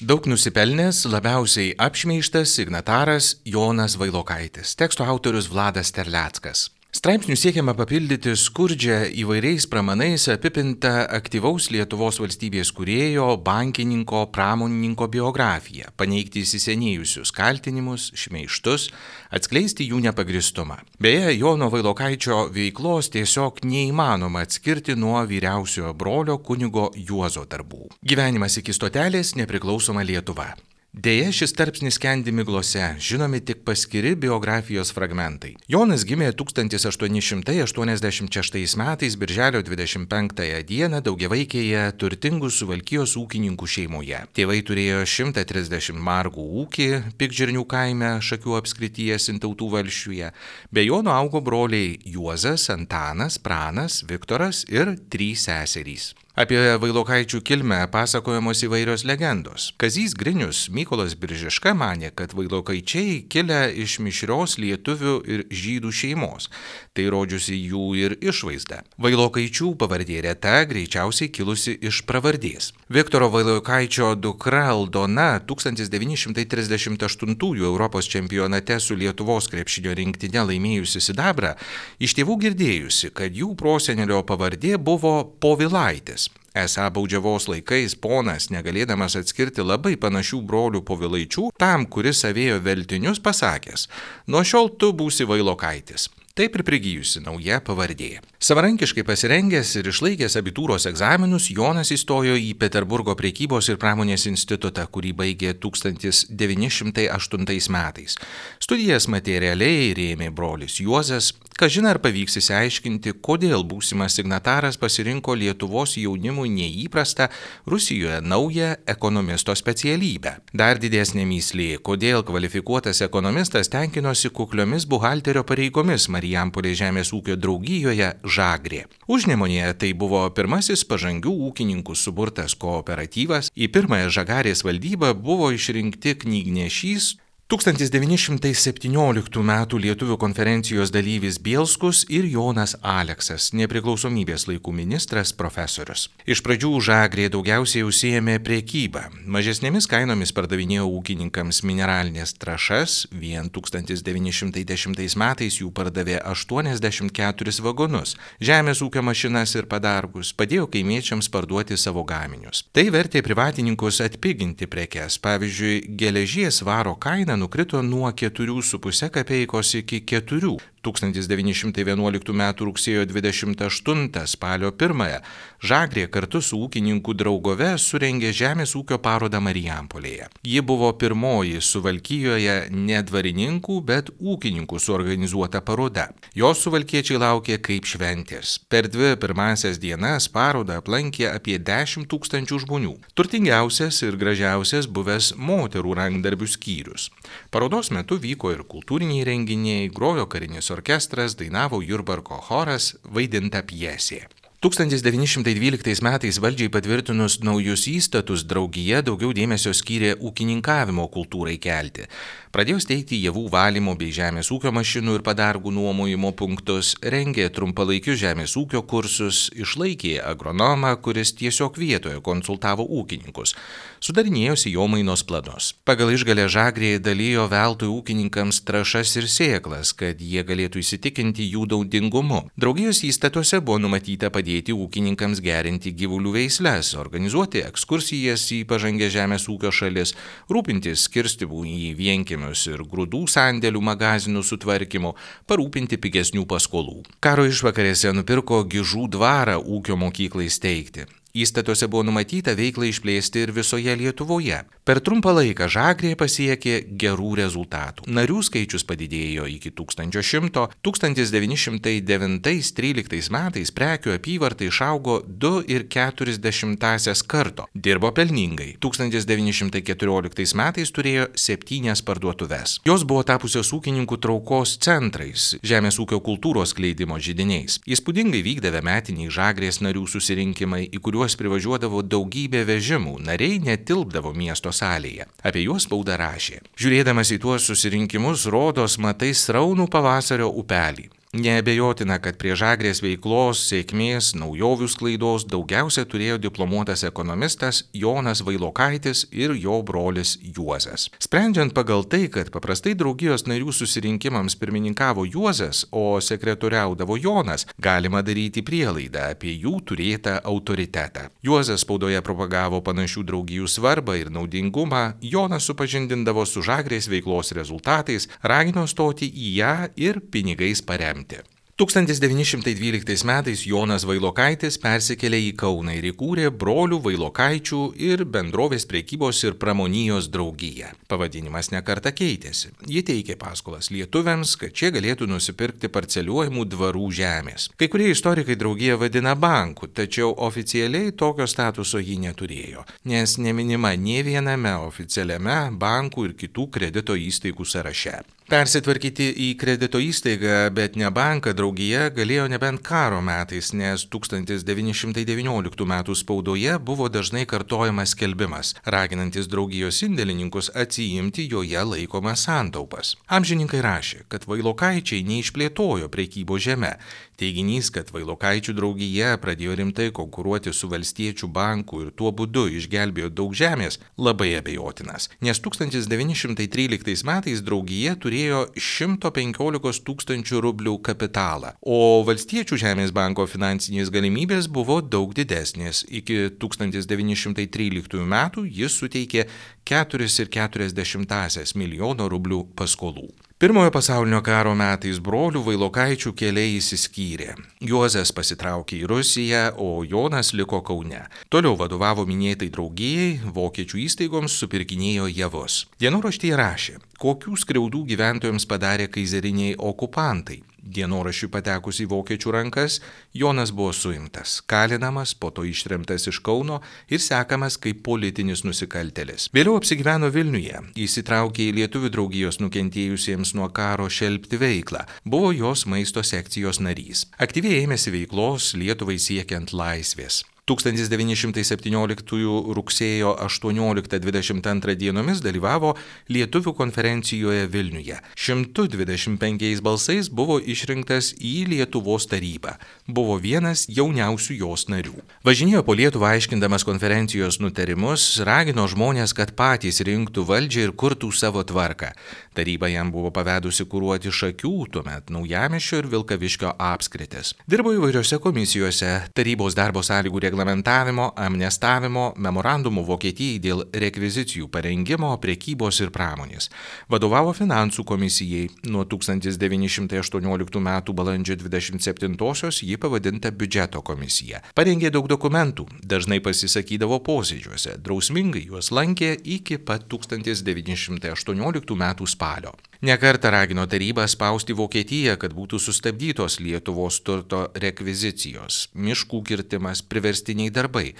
Daug nusipelnęs, labiausiai apšmeižtas signataras Jonas Vailokaitis, teksto autorius Vladas Terleckas. Straipsnių siekiama papildyti skurdžią įvairiais pramanais apipintą aktyvaus Lietuvos valstybės kūrėjo, bankininko, pramonininko biografiją, paneigti įsisenėjusius kaltinimus, šmeižtus, atskleisti jų nepagristumą. Beje, Jono Vailokaičio veiklos tiesiog neįmanoma atskirti nuo vyriausiojo brolio kunigo Juozo darbų. Gyvenimas iki stotelės, nepriklausoma Lietuva. Deja, šis tarpsnis skendi miglose, žinomi tik paskiri biografijos fragmentai. Jonas gimė 1886 metais birželio 25 dieną daugiavaikėje turtingų Suvalkijos ūkininkų šeimoje. Tėvai turėjo 130 margų ūkį Pikžirnių kaime Šakių apskrityje Sintautų valsčiuje. Be Jono augo broliai Juozas, Antanas, Pranas, Viktoras ir 3 seserys. Apie Vailokaičių kilmę pasakojamos įvairios legendos. Kazys Grinius, Mykolas Biržiška manė, kad Vailokaičiai kilę iš mišrios lietuvių ir žydų šeimos. Tai rodžiusi jų ir išvaizda. Vailokaičių pavardė reta, greičiausiai kilusi iš pravardės. Viktoro Vailokaičio dukra Aldona 1938 Europos čempionate su Lietuvos krepšinio rinktine laimėjusi sidabrą, iš tėvų girdėjusi, kad jų prosenelio pavardė buvo Povilaitis. Esą baudžiavos laikais ponas, negalėdamas atskirti labai panašių brolių Povilaičių, tam, kuris avėjo veltinius, pasakęs: "Nuo šiol tu būsi Vailokaitis." Taip ir prigijusi nauja pavardė. Savarankiškai pasirengęs ir išlaikęs abitūros egzaminus, Jonas įstojo į Peterburgo prekybos ir pramonės institutą, kurį baigė 1908 metais. Studijas materialiai rėmė brolis Juozas. Kažin ar pavyks išsiaiškinti, kodėl būsimas signataras pasirinko Lietuvos jaunimui neįprastą, Rusijoje naują ekonomisto specialybę. Dar didesnė mįslė, kodėl kvalifikuotas ekonomistas tenkinosi kukliomis buhalterio pareigomis Marijampolės žemės ūkio draugijoje Žagrė. Užnemunėje tai buvo pirmasis pažangių ūkininkų suburtas kooperatyvas. Į pirmąją Žagarės valdybą buvo išrinkti knygnešys 1917 m. Lietuvių konferencijos dalyvis Bielskus ir Jonas Aleksas, nepriklausomybės laikų ministras, profesorius. Iš pradžių Žagrė daugiausiai užsiėmė prekybą. Mažesnėmis kainomis pardavinėjo ūkininkams mineralinės trąšas, vien 1910 metais jų pardavė 84 vagonus, žemės ūkio mašinas ir padargus, padėjo kaimiečiams parduoti savo gaminius. Tai vertė privatininkus atpiginti prekes, pavyzdžiui, geležies svaro kaina nukrito nuo 4,5 kapeikos iki 4. 1911 m. rugsėjo 28 spalio 1 Žagrė kartu su ūkininkų draugove surengė žemės ūkio parodą Marijampolėje. Ji buvo pirmoji Suvalkijoje ne dvarininkų, bet ūkininkų suorganizuota paroda. Jos suvalkiečiai laukė kaip šventės. Per 2 pirmąsias dienas parodą aplankė apie 10 000 žmonių. Turtingiausias ir gražiausias buvęs moterų rankdarbių skyrius. Parodos metu vyko ir kultūriniai renginiai, grojo karinis orkestras, dainavo Jurbarko choras, vaidinta pjesė. 1912 metais valdžiai patvirtinus naujus įstatus, draugija daugiau dėmesio skyrė ūkininkavimo kultūrai kelti. Pradėjo steigti javų valymo bei žemės ūkio mašinų ir padargų nuomojimo punktus, rengė trumpalaikius žemės ūkio kursus, išlaikė agronomą, kuris tiesiog vietoje konsultavo ūkininkus. Sudarinėjo sėjomainos planus. Pagal išgalę Žagrė dalijo veltui ūkininkams trąšas ir sėklas, kad jie galėtų įsitikinti jų naudingumu. Draugijos įstatuose buvo numatyta padėti ūkininkams gerinti gyvulių veisles, organizuoti ekskursijas į pažangę žemės ūkio šalis, rūpintis skirstymų į vienkiemius ir grūdų sandėlių magazinų sutvarkymu, parūpinti pigesnių paskolų. Karo išvakarėse nupirko Gižų dvarą ūkio mokyklai steigti. Įstatuose buvo numatyta veiklą išplėsti ir visoje Lietuvoje. Per trumpą laiką Žagrė pasiekė gerų rezultatų. Narių skaičius padidėjo iki 1100, 1909-13 metais prekių apyvarta išaugo 2,4 karto. Dirbo pelningai. 1914 metais turėjo 7 parduotuves. Jos buvo tapusios ūkininkų traukos centrais, žemės ūkio kultūros skleidimo židiniais. Įspūdingai vykdavo metiniai Žagrės narių susirinkimai, į kuriuos privažiuodavo daugybė vežimų, nariai netilpdavo miesto salėje. Apie juos spauda rašė: "Žiūrėdamas į tuos susirinkimus, rodos matai sraunų pavasario upelį. Neabejotina, kad prie Žagrės veiklos, sėkmės, naujovių sklaidos daugiausia turėjo diplomuotas ekonomistas Jonas Vailokaitis ir jo brolis Juozas. Sprendžiant pagal tai, kad paprastai draugijos narių susirinkimams pirmininkavo Juozas, o sekretoriaudavo Jonas, galima daryti prielaidą apie jų turėtą autoritetą. Juozas spaudoje propagavo panašių draugijų svarbą ir naudingumą, Jonas supažindindavo su Žagrės veiklos rezultatais, ragino stoti į ją ir pinigais paremti. 1912 metais Jonas Vailokaitis persikėlė į Kauną ir įkūrė brolių Vailokaičių ir bendrovės prekybos ir pramonijos draugiją. Pavadinimas nekartą keitėsi. Ji teikė paskolas lietuviams, kad šie galėtų nusipirkti parceliuojamų dvarų žemės. Kai kurie istorikai draugiją vadina banku, tačiau oficialiai tokio statuso ji neturėjo, nes neminima nė viename oficialiame bankų ir kitų kredito įstaigų sąraše. Persitvarkyti į kredito įstaigą, bet ne banką draugija galėjo nebent karo metais, nes 1919 m. spaudoje buvo dažnai kartojamas skelbimas, raginantis draugijos indėlininkus atsiimti joje laikomas santaupas. Amžininkai rašė, kad Vailokaičiai neišplėtojo prekybos žeme. Teiginys, kad Vailokaičių draugija pradėjo rimtai konkuruoti su Valstiečių banku ir tuo būdu išgelbėjo daug žemės, labai abejotinas, nes 1913 metais draugija turėjo 115 000 rublių kapitalą, o Valstiečių žemės banko finansinės galimybės buvo daug didesnės. Iki 1913 metų jis suteikė 4,4 milijono rublių paskolų. Pirmojo pasaulinio karo metais brolių Vailokaičių keliai išsiskyrė. Juozas pasitraukė į Rusiją, o Jonas liko Kaune. Toliau vadovavo minėtai draugijai, vokiečių įstaigoms supirkinėjo javus. Dienoraštyje rašė, kokių skriaudų gyventojams padarė kaizeriniai okupantai. Dienoraščiui patekus į vokiečių rankas, Jonas buvo suimtas, kalinamas, po to ištremtas iš Kauno ir sekamas kaip politinis nusikaltėlis. Vėliau apsigyveno Vilniuje, įsitraukė į lietuvių draugijos nukentėjusiems nuo karo šelpti veiklą, buvo jos maisto sekcijos narys. Aktyviai ėmėsi veiklos Lietuvai siekiant laisvės. 1917 rugsėjo 18-22 dienomis dalyvavo Lietuvių konferencijoje Vilniuje. 125 balsais buvo išrinktas į Lietuvos tarybą. Buvo vienas jauniausių jos narių. Važinėjo po Lietuvą aiškindamas konferencijos nutarimus, ragino žmonės, kad patys rinktų valdžią ir kurtų savo tvarką. Taryba jam buvo pavedusi kuruoti Šakių, tuomet Naujamiesčio ir Vilkaviškio apskritis. Dirbo įvairiose komisijose, tarybos darbo sąlygų reglamentavimo, amnestavimo, memorandumų Vokietijai dėl rekvizicijų parengimo, prekybos ir pramonės. Vadovavo finansų komisijai. Nuo 1918 m. balandžio 27-osios ji pavadinta biudžeto komisija. Parengė daug dokumentų, dažnai pasisakydavo posėdžiuose, drausmingai juos lankė iki pat 1918 m. spalio. Nekartą ragino tarybą spausti Vokietiją, kad būtų sustabdytos Lietuvos turto rekvizicijos, miškų kirtimas, priverstiniai darbai.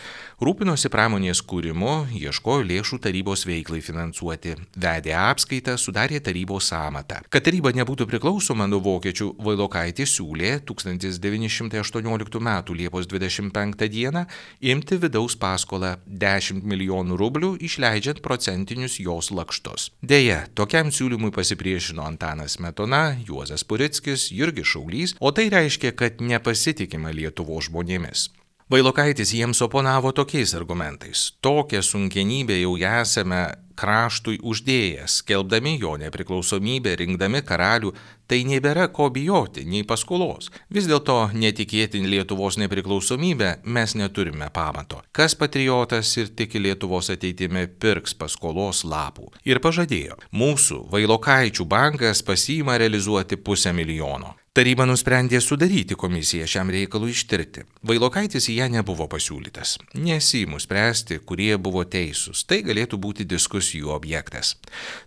Rūpinosi pramonės kūrimu, ieškojo lėšų tarybos veiklai finansuoti, vedė apskaitą, sudarė tarybos sąmatą. Kad taryba nebūtų priklausoma nuo vokiečių, Vailokaitis siūlė 1918 m. Liepos 25 d. imti vidaus paskolą 10 milijonų rublių, išleidžiant procentinius jos lakštus. Deja, tokiam siūlymui pasipriešino Antanas Smetona, Juozas Purickis, Jurgis Šaulys, o tai reiškia, kad nepasitikima Lietuvos žmonėmis. Vailokaitis jiems oponavo tokiais argumentais. Tokią sunkienybę jau esame kraštui uždėjęs, skelbdami jo nepriklausomybę, rinkdami karalių, tai nebėra ko bijoti, nei paskolos. Vis dėlto netikėti Lietuvos nepriklausomybę mes neturime pamato. Kas patriotas ir tiki Lietuvos ateitimi, pirks paskolos lapų. Ir pažadėjo, mūsų Vailokaičių bankas pasiima realizuoti 500 000. Taryba nusprendė sudaryti komisiją šiam reikalui ištirti. Vailokaitis į ją nebuvo pasiūlytas. Nesiimu spręsti, kurie buvo teisūs. Tai galėtų būti diskusijų objektas.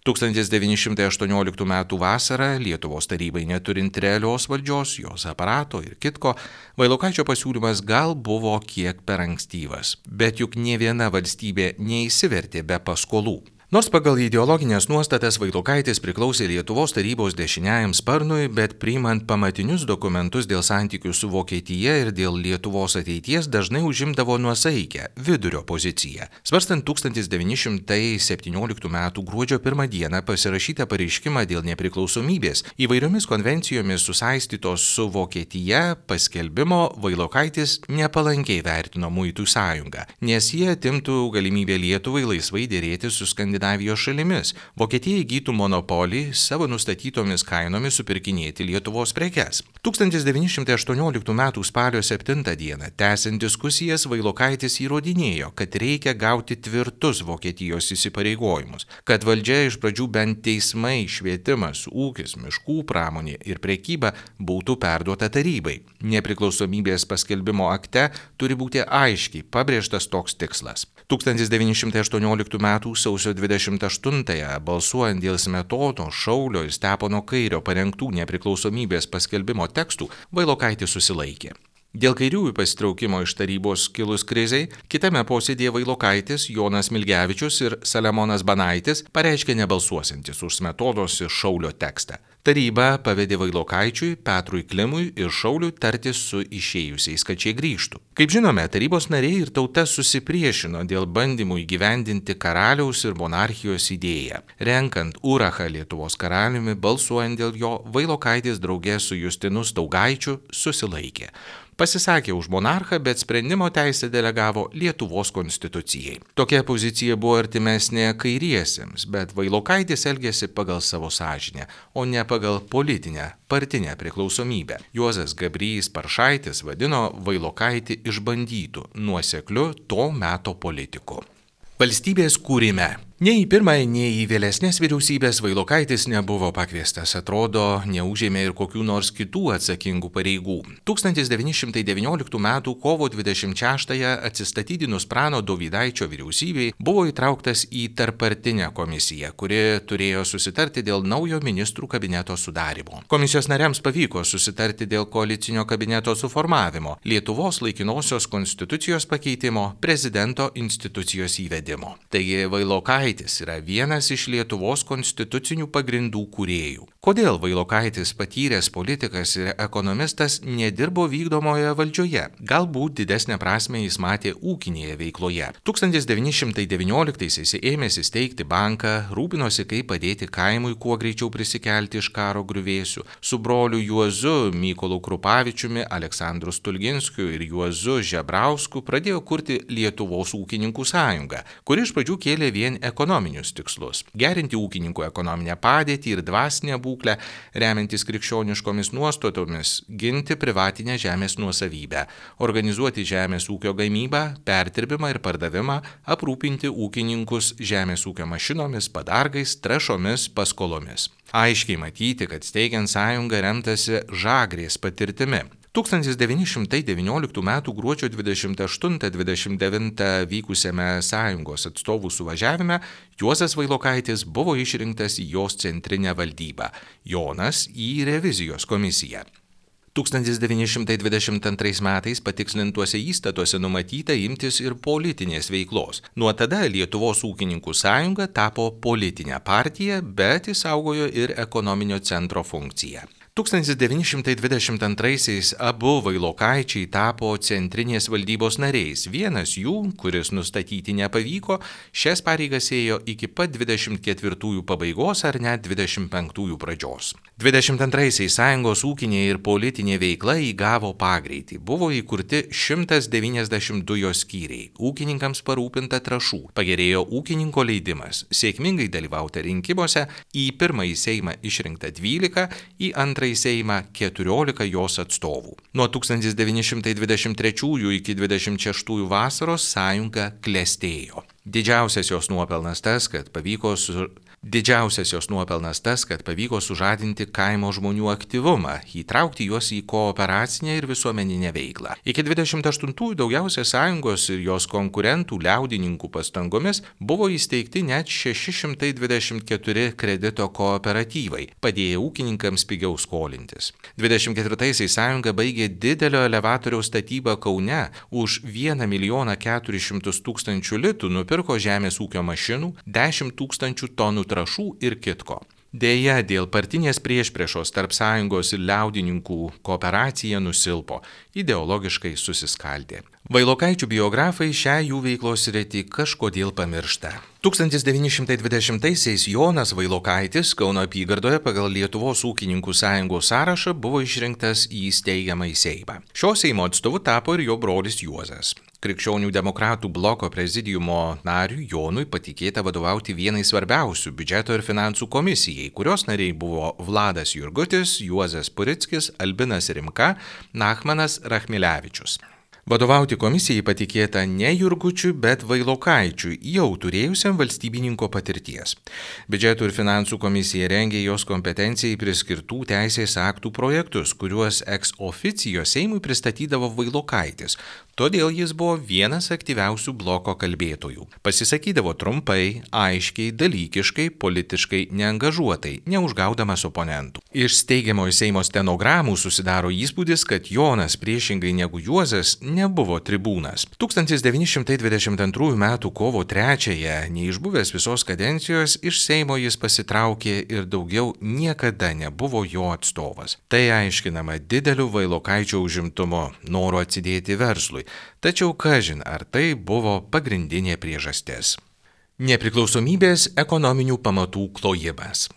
1918 m. vasarą Lietuvos tarybai neturint realios valdžios, jos aparato ir kitko, Vailokaičio pasiūlymas gal buvo kiek per ankstyvas. Bet juk nė viena valstybė neįsivertė be paskolų. Nors pagal ideologinės nuostatas Vailokaitis priklausė Lietuvos tarybos dešiniajam sparnui, bet priimant pamatinius dokumentus dėl santykių su Vokietija ir dėl Lietuvos ateities dažnai užimdavo nuosaikę vidurio poziciją. Svarstant 1917 m. gruodžio 1 d. pasirašytą pareiškimą dėl nepriklausomybės įvairiomis konvencijomis susaistytos su Vokietija paskelbimo, Vailokaitis nepalankiai vertino Muitų sąjungą, nes jie atimtų galimybę Lietuvai laisvai dėrėti su Skandinavijos šalimis. Vokietija įgytų monopolį savo nustatytomis kainomis supirkinėti Lietuvos prekes. 1918 m. spalio 7 d. tęsiant diskusijas, Vailokaitis įrodinėjo, kad reikia gauti tvirtus Vokietijos įsipareigojimus, kad valdžia iš pradžių bent teismai, švietimas, ūkis, miškų pramonė ir prekyba būtų perduota tarybai. Nepriklausomybės paskelbimo akte turi būti aiškiai pabrėžtas toks tikslas. 1918 m. sausio 28-ąją balsuojant dėl Smetono, Šaulio ir Stepono Kairio parengtų nepriklausomybės paskelbimo tekstų, Vailokaitis susilaikė. Dėl kairiųjų pasitraukimo iš tarybos kilus krizei, kitame posėdėje Vailokaitis, Jonas Milgevičius ir Saliamonas Banaitis pareiškė nebalsuosiantis už Smetonos ir Šaulio tekstą. Taryba pavedė Vailokaičiui, Petrui Klimui ir Šauliui tartis su išėjusiais, kad šie grįžtų. Kaip žinome, tarybos nariai ir tauta susipriešino dėl bandymų įgyvendinti karaliaus ir monarchijos idėją. Renkant Urachą Lietuvos karaliumi, balsuojant dėl jo, Vailokaitis draugė su Justinu Staugaičiu susilaikė. Pasisakė už monarchą, bet sprendimo teisę delegavo Lietuvos konstitucijai. Tokia pozicija buvo artimesnė kairiesiems, bet Vailokaitis elgėsi pagal savo sąžinę, o ne pagal politinę, partinę priklausomybę. Juozas Gabrys Paršaitis vadino Vailokaitį išbandytų, nuosekliu to meto politiku. Valstybės kūrime. Nei į pirmąją, nei į vėlesnės vyriausybės Vailokaitis nebuvo pakviestas, atrodo, neužėmė ir kokių nors kitų atsakingų pareigų. 1919 m. kovo 26-ąją atsistatydinus Prano Dovydaičio vyriausybei buvo įtrauktas į tarppartinę komisiją, kuri turėjo susitarti dėl naujo ministrų kabineto sudarimo. Komisijos nariams pavyko susitarti dėl koalicinio kabineto suformavimo, Lietuvos laikinosios konstitucijos pakeitimo, prezidento institucijos įvedimo. Taigi Vailokaitis yra vienas iš Lietuvos konstitucinių pagrindų kūrėjų. Kodėl Vailokaitis, patyręs politikas ir ekonomistas, nedirbo vykdomoje valdžioje? Galbūt didesnę prasmę jis matė ūkinėje veikloje. 1919-aisiais ėmėsi steigti banką, rūpinosi, kaip padėti kaimui kuo greičiau prisikelti iš karo griuvėsių. Su broliu Juozu Mykolu Krupavičiumi, Aleksandru Stulginskiu ir Juozu Žebrausku pradėjo kurti Lietuvos ūkininkų sąjungą, kuri iš pradžių kėlė vien ekonominius tikslus – gerinti ūkininkų ekonominę padėtį ir dvasinę būklę, remiantis krikščioniškomis nuostatomis, ginti privatinę žemės nuosavybę, organizuoti žemės ūkio gamybą, perdirbimą ir pardavimą, aprūpinti ūkininkus žemės ūkio mašinomis, padargais, trąšomis, paskolomis. Aiškiai matyti, kad steigiant sąjungą remtasi Žagrės patirtimi. 1919 m. gruodžio 28-29 vykusiame sąjungos atstovų suvažiavime Juozas Vailokaitis buvo išrinktas į jos centrinę valdybą, Jonas į revizijos komisiją. 1922 metais patikslintuose įstatuose numatyta imtis ir politinės veiklos. Nuo tada Lietuvos ūkininkų sąjunga tapo politinė partija, bet išsaugojo ir ekonominio centro funkciją. 1922-aisiais abu Vailokaičiai tapo centrinės valdybos nariais. Vienas jų, kuris nustatyti nepavyko, šias pareigas ėjo iki pat 24-ųjų pabaigos ar net 25-ųjų pradžios. 22-aisiais sąjungos ūkinė ir politinė veikla įgavo pagreitį. Buvo įkurti 192 jos skyriai. Ūkininkams parūpinta trąšų. Pagerėjo ūkininko leidimas. Sėkmingai dalyvauta rinkimuose, į pirmąjį Seimą išrinkta 12, į antrąjį Seimą 14 jos atstovų. Nuo 1923 iki 26 vasaros sąjunga klestėjo. Didžiausias jos nuopelnas tas, kad pavyko Didžiausias jos nuopelnas tas, kad pavyko sužadinti kaimo žmonių aktyvumą, įtraukti juos į kooperacinę ir visuomeninę veiklą. Iki 28-ųjų daugiausia sąjungos ir jos konkurentų liaudininkų pastangomis buvo įsteigti net 624 kredito kooperatyvai, padėję ūkininkams pigiau skolintis. 24-aisiais sąjunga baigė didelio elevatoriaus statybą Kaune, už 1 400 000 litų nupirko žemės ūkio mašinų, 10 000 tonų trąšų ir kitko. Deja, dėl partinės priešpriešos tarp sąjungos ir liaudininkų kooperacija nusilpo, ideologiškai susiskaldė. Vailokaičių biografai šią jų veiklos sritį kažkodėl pamiršta. 1920-aisiais Jonas Vailokaitis Kauno apygardoje pagal Lietuvos ūkininkų sąjungos sąrašą buvo išrinktas į steigiamąjį Seimą. Šio Seimo atstovu tapo ir jo brolis Juozas. Krikščionių demokratų bloko prezidiumo nariui Jonui patikėta vadovauti vienai svarbiausių biudžeto ir finansų komisijai, kurios nariai buvo Vladas Jurgutis, Juozas Purickis, Albinas Rimka, Nachmanas Rachmilevičius. Vadovauti komisijai patikėta ne Jurgučiui, bet Vailokaičiui, jau turėjusiam valstybininko patirties. Biudžeto ir finansų komisija rengė jos kompetencijai priskirtų teisės aktų projektus, kuriuos ex officio Seimui pristatydavo Vailokaitis. Todėl jis buvo vienas aktyviausių bloko kalbėtojų. Pasisakydavo trumpai, aiškiai, dalykiškai, politiškai neangažuotai, neužgaudamas oponentų. Iš steigiamojo Seimo stenogramų susidaro įspūdis, kad Jonas priešingai negu Juozas nebuvo tribūnas. 1922 m. kovo 3-ąją, neišbuvęs visos kadencijos, iš Seimo jis pasitraukė ir daugiau niekada nebuvo jo atstovas. Tai aiškinama dideliu Vailokaičio užimtumu, noru atsidėti verslui. Tačiau kažin, ar tai buvo pagrindinė priežastis. Nepriklausomybės ekonominių pamatų klojimas.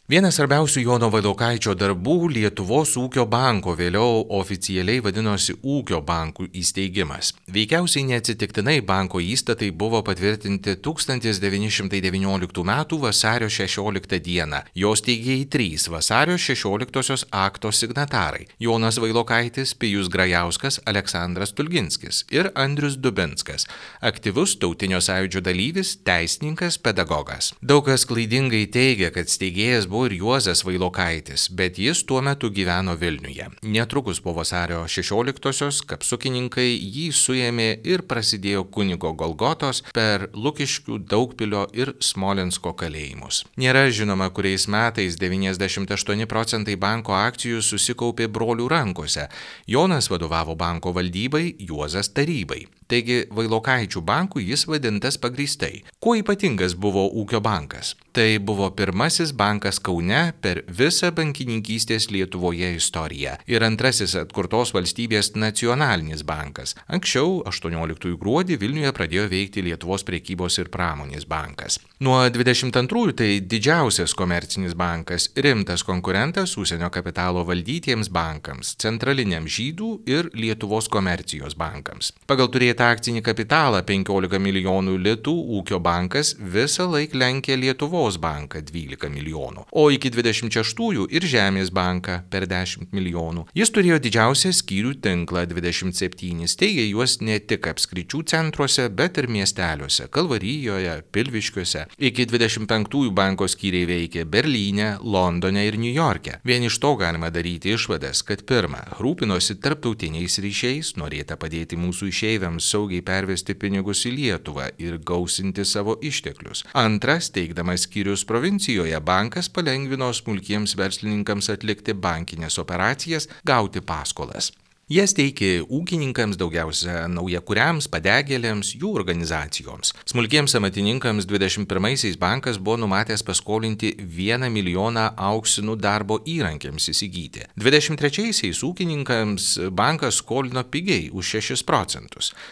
Vienas svarbiausių Jono Vailokaičio darbų - Lietuvos ūkio banko, vėliau oficialiai vadinosi Ūkio bankų įsteigimas. Veikiausiai neatsitiktinai banko įstatai buvo patvirtinti 1919 m. vasario 16 d. Jos steigėjai 3 vasario 16 akto signatarai - Jonas Vailokaitis, Pijus Grajauskas, Aleksandras Tulginskis ir Andrius Dubinskas, aktyvus tautinio sąjūdžio dalyvis, teisininkas, pedagogas. Daug kas klaidingai teigia, kad steigėjas buvo ir Juozas Vailokaitis, bet jis tuo metu gyveno Vilniuje. Netrukus po vasario 16-osios kapsukininkai jį suėmė ir prasidėjo kunigo Golgotos per Lukiškių, Daugpilio ir Smolensko kalėjimus. Nėra žinoma, kuriais metais 98% banko akcijų susikaupė brolių rankose. Jonas vadovavo banko valdybai, Juozas tarybai. Taigi Vailokaičių bankų jis vadintas pagrįstai. Kuo ypatingas buvo Ūkio bankas? Tai buvo pirmasis bankas Kaune per visą bankininkystės Lietuvoje istoriją ir antrasis atkurtos valstybės nacionalinis bankas. Anksčiau, 18 gruodį, Vilniuje pradėjo veikti Lietuvos prekybos ir pramonės bankas. Nuo 22-ųjų tai didžiausias komercinis bankas, rimtas konkurentas užsienio kapitalo valdytiems bankams, centraliniam Žydų ir Lietuvos komercijos bankams. Pagal turėtą akcinį kapitalą 15 milijonų litų Ūkio bankas visą laiką lenkė Lietuvos banką 12 milijonų, o iki 26-ųjų ir Žemės banką per 10 milijonų. Jis turėjo didžiausią skyrių tinklą 27, steigė juos ne tik apskričių centruose, bet ir miesteliuose - Kalvarijoje, Pilviškiuose. Iki 25-ųjų banko skyriai veikė Berlyne, Londone ir Niujorke. Vien iš to galima daryti išvadas, kad pirma, rūpinosi tarptautiniais ryšiais, norėta padėti mūsų išeiviams saugiai pervesti pinigus į Lietuvą ir gausinti savo išteklius. Antra, steigdamas skyrius provincijoje, bankas palengvino smulkiems verslininkams atlikti bankinės operacijas, gauti paskolas. Jas teikė ūkininkams, daugiausia naujakuriams, padegėliams, jų organizacijoms. Smulkiems amatininkams 21-aisiais bankas buvo numatęs paskolinti 1 milijoną auksinų darbo įrankiams įsigyti. 23-aisiais ūkininkams bankas skolino pigiai už 6%.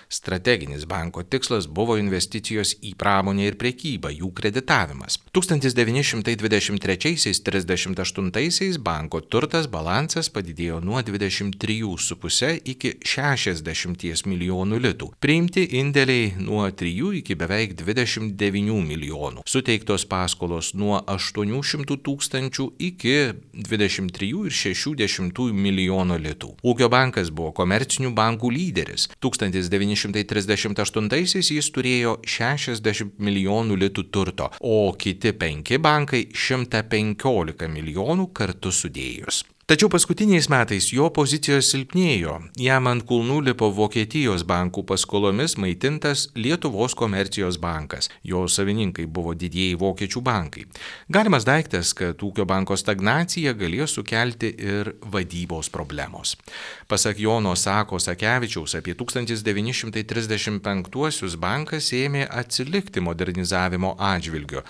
Strateginis banko tikslas buvo investicijos į pramonę ir prekybą, jų kreditavimas. 1923-38 banko turtas balansas padidėjo nuo 23,5 5,5 iki 60 milijonų litų. Priimti indėliai nuo 3 iki beveik 29 milijonų. Suteiktos paskolos nuo 800 tūkstančių iki 23,6 milijono litų. Ūkio bankas buvo komercinių bankų lyderis. 1938-aisiais jis turėjo 60 milijonų litų turto, o kiti 5 bankai 115 milijonų kartu sudėjus. Tačiau paskutiniais metais jo pozicijos silpnėjo. Jam ant kulnų lipo Vokietijos bankų paskolomis maitintas Lietuvos komercijos bankas. Jo savininkai buvo didieji vokiečių bankai. Galimas daiktas, kad ūkio banko stagnacija galėjo sukelti ir vadybos problemos. Pasak Jono Sakevičiaus, apie 1935-uosius bankas ėmė atsilikti modernizavimo atžvilgiu.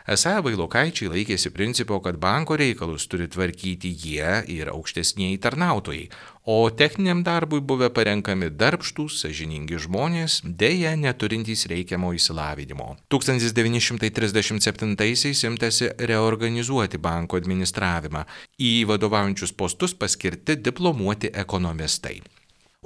Esą Vailokaičiai laikėsi principo, kad banko reikalus turi tvarkyti jie ir aukštesnieji tarnautojai, o techniniam darbui buvę parenkami darbštūs, sąžiningi žmonės, deja neturintys reikiamo išsilavinimo. 1937-aisiais imtasi reorganizuoti banko administravimą. Į vadovaujančius postus paskirti diplomuoti ekonomistai.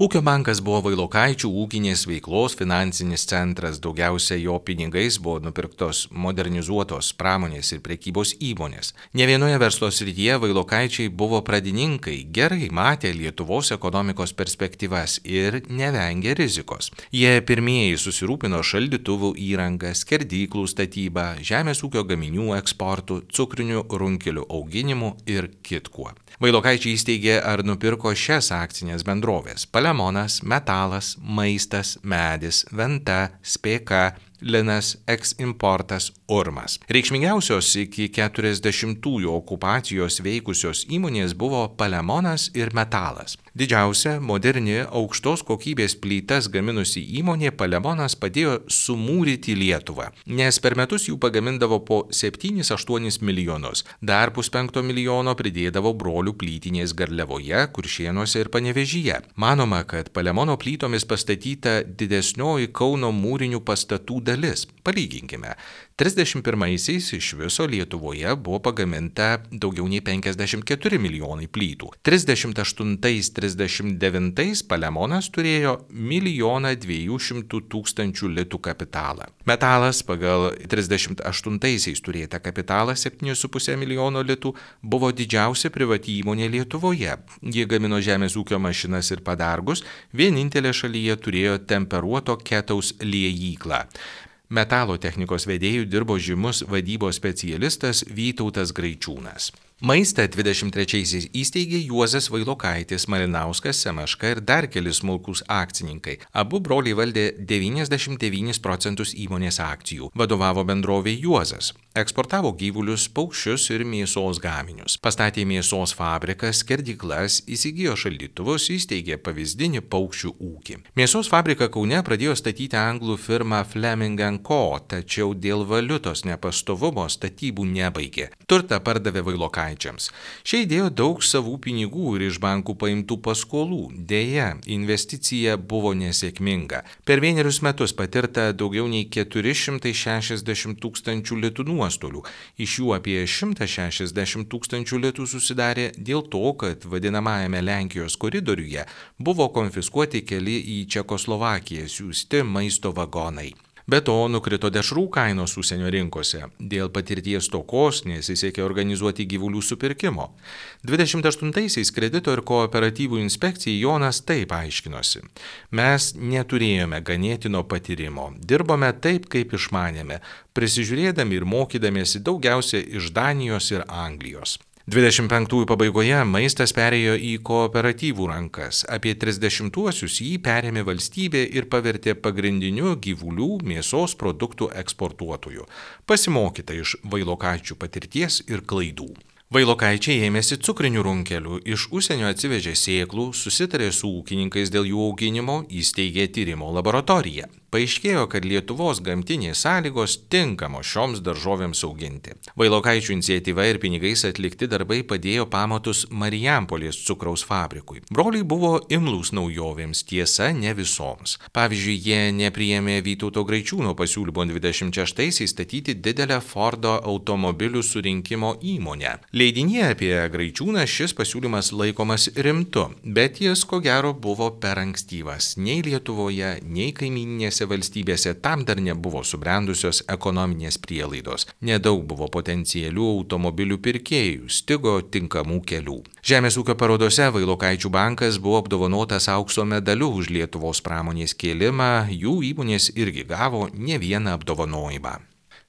Ūkio bankas buvo Vailokaičių ūkinės veiklos finansinis centras, daugiausia jo pinigais buvo nupirktos modernizuotos pramonės ir prekybos įmonės. Ne vienoje verslo srityje Vailokaičiai buvo pradininkai, gerai matė Lietuvos ekonomikos perspektyvas ir nevengė rizikos. Jie pirmieji susirūpino šaldytuvų įrangą, skerdyklų statybą, žemės ūkio gaminių eksportų, cukrinių runkelių auginimu ir kitkuo. Vailokaičiai įsteigė ar nupirko šias akcinės bendrovės: Palemonas, Metalas, Maistas, Medis, Venta, Spėka, Linas, Eksimportas, Urmas. Reikšmingiausios iki 40-ųjų okupacijos veikusios įmonės buvo Palemonas ir Metalas. Didžiausia, moderni, aukštos kokybės plytas gaminusi įmonė Palemonas padėjo sumūryti Lietuvą, nes per metus jų pagamindavo po 7-8 milijonus. Dar 500 milijono pridėdavo brolių plytinės Garliavoje, Kuršėnuose ir Panevėžyje. Manoma, kad Palemono plytomis pastatyta didesnioji Kauno mūrinių pastatų dalis. Palyginkime. 31-aisiais iš viso Lietuvoje buvo pagaminta daugiau nei 54 milijonai plytų. 38-39 Palemonas turėjo 1 200 000 litų kapitalą. Metalas pagal 38-aisiais turėtą kapitalą 7,5 milijono litų buvo didžiausia privati įmonė Lietuvoje. Jie gamino žemės ūkio mašinas ir padargus, vienintelė šalyje turėjo temperuoto ketaus liejyklą. Metalo technikos vedėjų dirbo žymus vadybos specialistas Vytautas Graičiūnas. Maistą 23-aisiais įsteigė Juozas Vailokaitis, Malinauskas, Semeška ir dar keli smulkūs akcininkai. Abu broliai valdė 99% įmonės akcijų. Vadovavo bendrovė Juozas. Eksportavo gyvulius, paukščius ir mėsos gaminius. Pastatė mėsos fabriką, skerdyklas, įsigijo šaldytuvus, įsteigė pavyzdinį paukščių ūkį. Mėsos fabriką Kaune pradėjo statyti anglų firma Fleming & Co, tačiau dėl valiutos nepastovumo statybų nebaigė. Turtą pardavė Vailokaičiams. Šie įdėjo daug savų pinigų ir iš bankų paimtų paskolų. Deja, investicija buvo nesėkminga. Per 1 metus patirta daugiau nei 460 000 litų nuostolių. Iš jų apie 160 000 litų susidarė dėl to, kad vadinamajame Lenkijos koridoriuje buvo konfiskuoti keli į Čekoslovakiją siųsti maisto vagonai. Be to, nukrito dešrų kainos užsienio rinkose. Dėl patirties stokos nesisekė organizuoti gyvulių supirkimo. 28-aisiais kredito ir kooperatyvų inspekcijai Jonas taip aiškinosi: mes neturėjome ganėtino patyrimo, dirbome taip, kaip išmanėme, prisižiūrėdami ir mokydamiesi daugiausia iš Danijos ir Anglijos. 25-ųjų pabaigoje maistas perėjo į kooperatyvų rankas. Apie 30-uosius jį perėmė valstybė ir pavertė pagrindiniu gyvulių mėsos produktų eksportuotoju. Pasimokyta iš Vailokaičių patirties ir klaidų. Vailokaičiai ėmėsi cukrinių runkelių, iš užsienio atsivežė sėklų, susitarė su ūkininkais dėl jų auginimo, įsteigė tyrimo laboratoriją. Paaiškėjo, kad Lietuvos gamtinės sąlygos tinkamos šioms daržovėms auginti. Vailokaičių iniciatyva ir pinigais atlikti darbai padėjo pamatus Marijampolės cukraus fabrikui. Broliai buvo imlūs naujovėms, tiesa, ne visoms. Pavyzdžiui, jie nepriėmė Vytauto Graičiūno pasiūlymo 26-aisiais statyti didelę Fordo automobilių surinkimo įmonę. Leidinyje apie Graičiūną šis pasiūlymas laikomas rimtu, bet jis ko gero buvo per ankstyvas. Nei Lietuvoje, nei kaimyninėse valstybėse tam dar nebuvo subrendusios ekonominės prielaidos. Nedaug buvo potencialių automobilių pirkėjų, stigo tinkamų kelių. Žemės ūkio parodose Vailokaičių bankas buvo apdovanotas aukso medaliu už Lietuvos pramonės kėlimą, jų įmonės irgi gavo ne vieną apdovanojimą.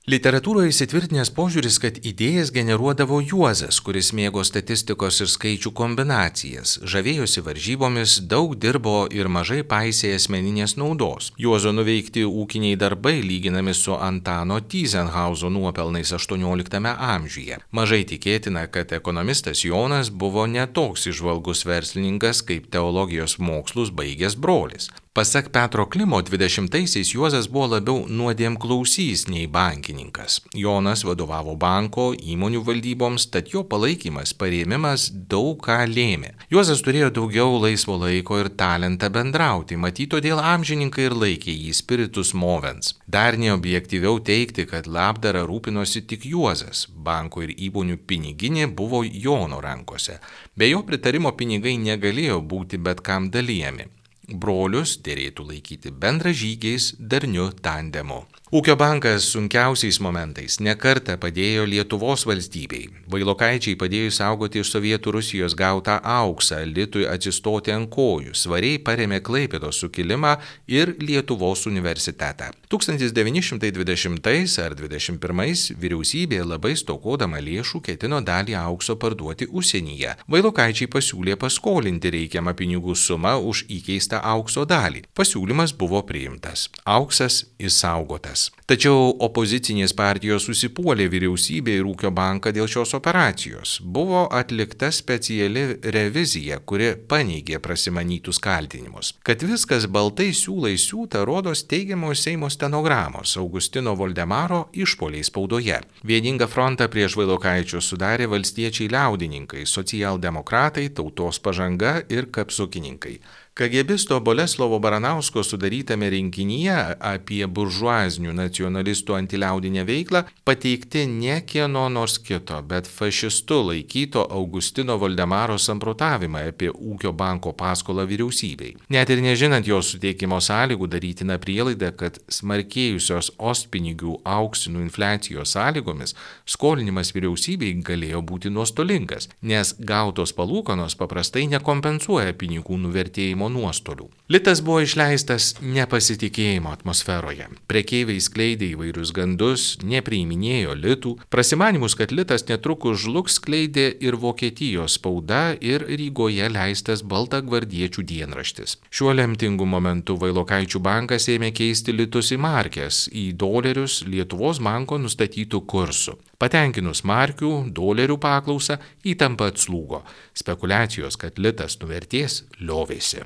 Literatūroje įsitvirtinęs požiūris, kad idėjas generuodavo Juozas, kuris mėgo statistikos ir skaičių kombinacijas, žavėjosi varžybomis, daug dirbo ir mažai paisė asmeninės naudos. Juozo nuveikti ūkiniai darbai lyginami su Antano Tyzenhauzo nuopelnais 18 amžiuje. Mažai tikėtina, kad ekonomistas Jonas buvo netoks įžvalgus verslininkas kaip teologijos mokslus baigęs brolis. Pasak Petro Klimo, 20-aisiais Juozas buvo labiau nuodėmklausys nei bankininkas. Jonas vadovavo banko, įmonių valdyboms, tad jo palaikymas, parėmimas daug ką lėmė. Juozas turėjo daugiau laisvo laiko ir talentą bendrauti, matyt, todėl amžininkai ir laikė jį spiritus movens. Dar neobjektyviau teigti, kad labdara rūpinosi tik Juozas. Banko ir įmonių piniginė buvo Jono rankose. Be jo pritarimo pinigai negalėjo būti bet kam dalijami. Brolius dėrėtų laikyti bendražygiais, darniu tandemu. Ūkio bankas sunkiausiais momentais nekartą padėjo Lietuvos valstybei. Vailokaičiai padėjo saugoti iš Sovietų Rusijos gautą auksą, litui atsistoti ant kojų, svariai parėmė Klaipėdos sukilimą ir Lietuvos universitetą. 1920 ar 21 vyriausybė labai stokodama lėšų ketino dalį aukso parduoti užsienyje. Vailokaičiai pasiūlė paskolinti reikiamą pinigų sumą už įkeistą aukso dalį. Pasiūlymas buvo priimtas. Auksas išsaugotas. Tačiau opozicinės partijos susipuolė vyriausybė ir ūkio banką dėl šios operacijos. Buvo atlikta speciali revizija, kuri paneigė prasimanytus kaltinimus. Kad viskas baltai siūlai siūta, rodos teigiamos Seimo stenogramos Augustino Voldemaro išpoliai spaudoje. Vieningą frontą prieš Vailokaičius sudarė valstiečiai liaudininkai, socialdemokratai, Tautos pažanga ir kapsukininkai. KGBisto Boleslovo Baranausko sudarytame rinkinyje apie buržuazinių nacionalistų antiliaudinę veiklą pateikti ne kieno nors kito, bet fašistu laikyto Augustino Voldemaro samprotavimą apie ūkio banko paskolą vyriausybei. Net ir nežinant jos suteikimo sąlygų darytina prielaida, kad smarkėjusios ostpinigių auksinų infliacijos sąlygomis skolinimas vyriausybei galėjo būti nuostolingas, nes gautos palūkanos paprastai nekompensuoja pinigų nuvertėjimo nuostolių. Litas buvo išleistas nepasitikėjimo atmosferoje. Prekeiviai skleidė įvairius gandus, nepriiminėjo litų. Prasimanimus, kad litas netrukus žlugs, skleidė ir Vokietijos spauda ir Rygoje leistas baltagvardiečių dienraštis. Šiuo lemtingu momentu Vailokaičių bankas ėmė keisti litus į markes, į dolerius Lietuvos banko nustatytų kursų. Patenkinus markių, dolerių paklausą, įtampa atslūgo. Spekulacijos, kad litas nuvertės, liovėsi.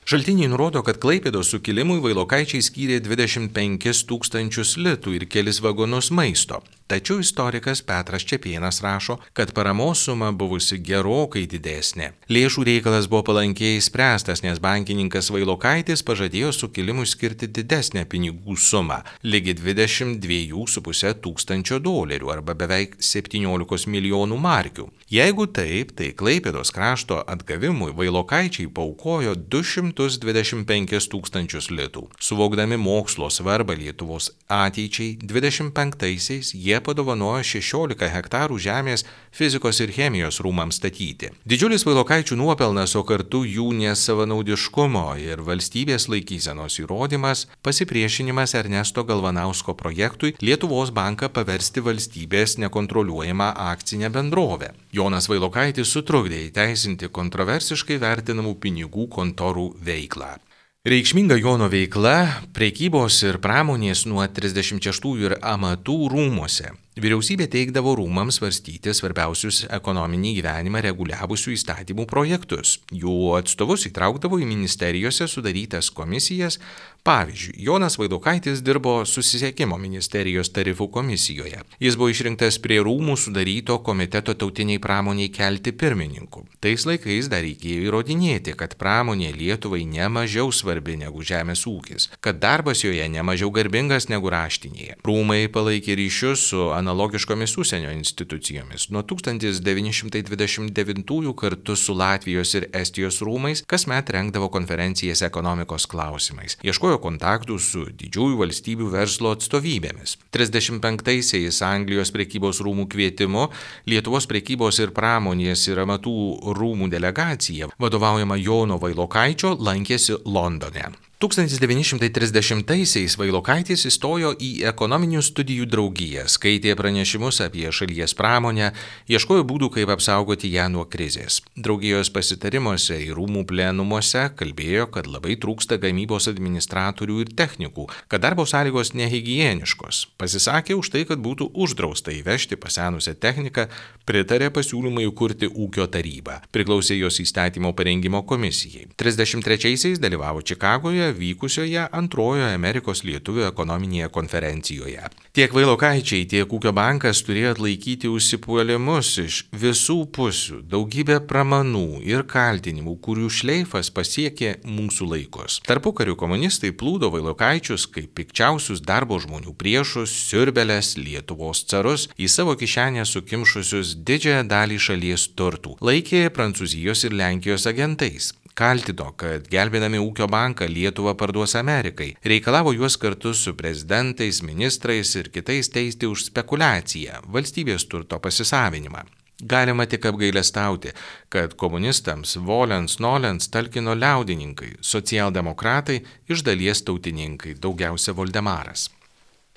Šaltiniai nurodo, kad Klaipėdos sukilimui Vailokaičiai skyrė 25 000 litų ir kelis vagonus maisto. Tačiau istorikas Petras Čepėnas rašo, kad paramos suma buvusi gerokai didesnė. Lėšų reikalas buvo palankiai spręstas, nes bankininkas Vailokaitis pažadėjo sukilimui skirti didesnę pinigų sumą, lygi 22,5 tūkstančio dolerių arba beveik 17 milijonų markių. Jeigu taip, tai Klaipėdos krašto atgavimui Vailokaičiai paaukojo 225 000 litų. Suvokdami mokslo svarbą Lietuvos ateičiai, 25-aisiais jie padovanojo 16 hektarų žemės fizikos ir chemijos rūmams statyti. Didžiulis Vailokaičių nuopelnas, o kartu jų nesavanaudiškumo ir valstybės laikysenos įrodymas, pasipriešinimas Ernesto Galvanausko projektui Lietuvos banką paversti valstybės nekontroliuojamą akcinę bendrovę. Jonas Vailokaitis sutrukdė įteisinti kontroversiškai vertinamų pinigų kontorų veiklą. Reikšminga Jono veikla prekybos ir pramonės nuo 36 ir amatų rūmuose. Vyriausybė teikdavo rūmams svarstyti svarbiausius ekonominį gyvenimą reguliavusių įstatymų projektus. Jų atstovus įtraukdavo į ministerijose sudarytas komisijas. Pavyzdžiui, Jonas Vaidokaitis dirbo Susisiekimo ministerijos tarifų komisijoje. Jis buvo išrinktas prie rūmų sudaryto komiteto tautiniai pramoniai kelti pirmininku. Tais laikais dar reikėjo įrodinėti, kad pramonė Lietuvai ne mažiau svarbi negu žemės ūkis, kad darbas joje ne mažiau garbingas negu raštinėje. Rūmai palaikė ryšius su analogiškomis užsienio institucijomis. Nuo 1929 kartu su Latvijos ir Estijos rūmais kasmet rengdavo konferencijas ekonomikos klausimais. Ieškojo kontaktų su didžiųjų valstybių verslo atstovybėmis. 35-aisiais Anglijos prekybos rūmų kvietimu Lietuvos prekybos ir pramonės ir amatų rūmų delegacija, vadovaujama Jono Vailokaičio, lankėsi Londone. 1930-aisiais Vailokaitis įstojo į ekonominių studijų draugiją, skaitė pranešimus apie šalies pramonę, ieškojo būdų, kaip apsaugoti ją nuo krizės. Draugijos pasitarimuose ir rūmų plenumuose kalbėjo, kad labai trūksta gamybos administratorių ir technikų, kad darbo sąlygos nehigieniškos. Pasisakė už tai, kad būtų uždrausta įvežti pasenusią techniką, pritarė pasiūlymui įkurti ūkio tarybą. Priklausė jos įstatymo parengimo komisijai. 33-aisiais dalyvavo Čikagoje vykusioje antrojoje Amerikos lietuvių ekonominėje konferencijoje. Tiek Vailokaičiai, tiek Ūkio bankas turėjo atlaikyti užsipuolimus iš visų pusių, daugybę pramanų ir kaltinimų, kurių šleifas pasiekė mūsų laikus. Tarpukariu komunistai plūdo Vailokaičius kaip pikčiausius darbo žmonių priešus, siurbelės, Lietuvos carus, į savo kišenę sukimšusius didžiąją dalį šalies turtų, laikė Prancūzijos ir Lenkijos agentais. Kaltino, kad gelbėdami Ūkio banką Lietuvą parduos Amerikai, reikalavo juos kartu su prezidentais, ministrais ir kitais teisti už spekulaciją, valstybės turto pasisavinimą. Galima tik apgailestauti, kad komunistams volens nolens talkino liaudininkai, socialdemokratai, iš dalies tautininkai, daugiausia Voldemaras.